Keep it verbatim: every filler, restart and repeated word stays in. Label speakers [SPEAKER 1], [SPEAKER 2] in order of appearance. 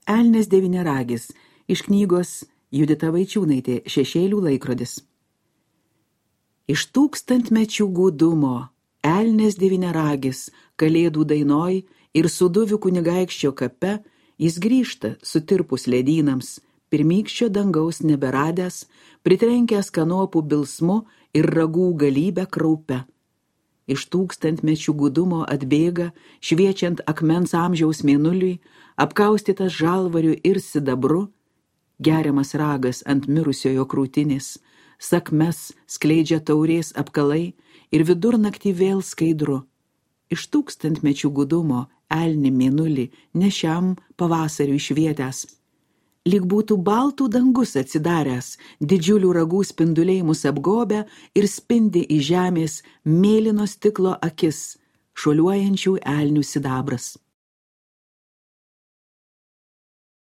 [SPEAKER 1] Elnias devyniaragis iš knygos Judita Vaičiūnaitė Šešėlių laikrodis. Iš tūkstantmečių gūdumo Elnias devyniaragis kalėdų dainoj ir suduvių kunigaikščio kape jis grįžta sutirpus ledynams, pirmykščio dangaus neberadęs, pritrenkęs kanopų bilsmu ir ragų galybę kraupe. Iš tūkstantmečių gūdumo atbėga, šviečiant akmens amžiaus mėnuliui, apkaustytas žalvariu ir sidabru, geriamas ragas ant mirusiojo krūtinės, sakmes skleidžia taurės apkalai ir vidurnaktį vėl skaidru. Iš tūkstantmečių gūdumo elni mėnulį nešiam pavasariui švietęs. Lyg būtų baltų dangus atsidaręs, didžiulių ragų spinduliai mus apgobę ir spindi į žemės mėlyno stiklo akis, šuoliuojančių elnių sidabras.